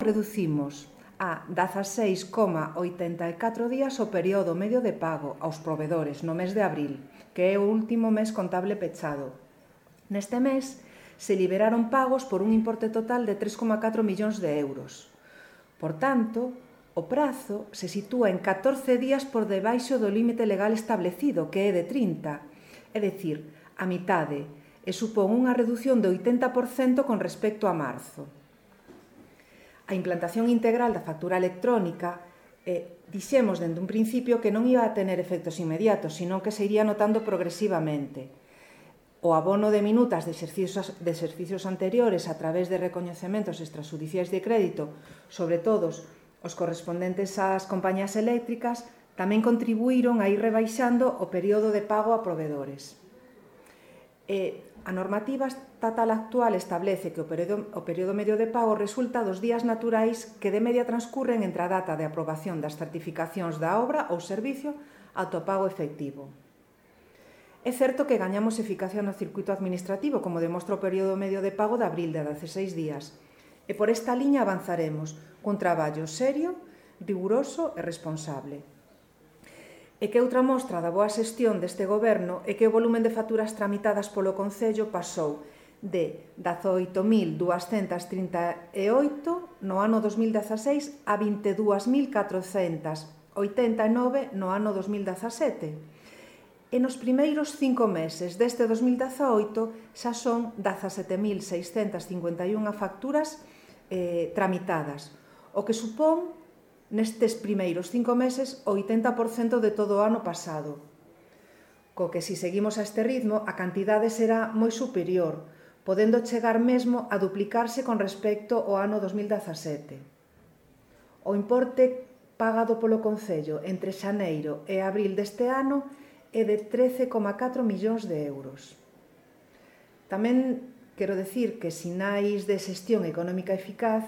reducimos a 16,84 días o período medio de pago aos provedores no mes de abril, que é o último mes contable pechado. Neste mes se liberaron pagos por un importe total de 3,4 millóns de euros. Por tanto, o prazo se sitúa en 14 días por debaixo do límite legal establecido, que é de 30, é dicir, a mitade, e supón unha redución de 80% con respecto a marzo. A implantación integral da factura electrónica dixemos dende un principio que non iba a tener efectos inmediatos, sino que se iría notando progresivamente. O abono de minutas de exercicios anteriores a través de recoñecementos extrajudiciais de crédito, sobre todos os correspondentes ás compañías eléctricas, tamén contribuíron a ir rebaixando o período de pago a provedores. A normativa estatal actual establece que o período medio de pago resulta dos días naturais que de media transcurren entre a data de aprobación das certificacións da obra ou servicio ata o pago efectivo. É certo que gañamos eficacia no circuito administrativo, como demostra o período medio de pago de abril de 16 días, e por esta liña avanzaremos cun traballo serio, riguroso e responsable. E que outra mostra da boa xestión deste goberno é que o volumen de facturas tramitadas polo Concello pasou de 18.238 no ano 2016 a 22.489 no ano 2017. E nos primeiros 5 meses deste 2018 xa son 17.651 facturas tramitadas, o que supón nestes primeiros 5 meses o 80% de todo o ano pasado. Co que, se seguimos a este ritmo, a cantidade será moi superior, podendo chegar mesmo a duplicarse con respecto ao ano 2017. O importe pagado polo Concello entre xaneiro e abril deste ano é de 13,4 millóns de euros. Tamén quero dicir que sinais de xestión económica eficaz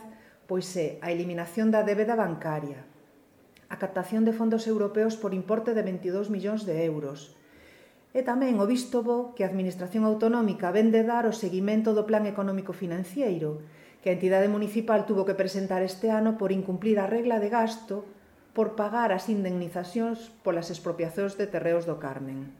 pois é a eliminación da débeda bancaria, a captación de fondos europeos por importe de 22 millóns de euros e tamén o visto bo que a Administración Autonómica ven de dar o seguimento do Plan Económico Financiero que a entidade municipal tuvo que presentar este ano por incumplir a regla de gasto por pagar as indemnizacións polas expropiacións de terreos do Carmen.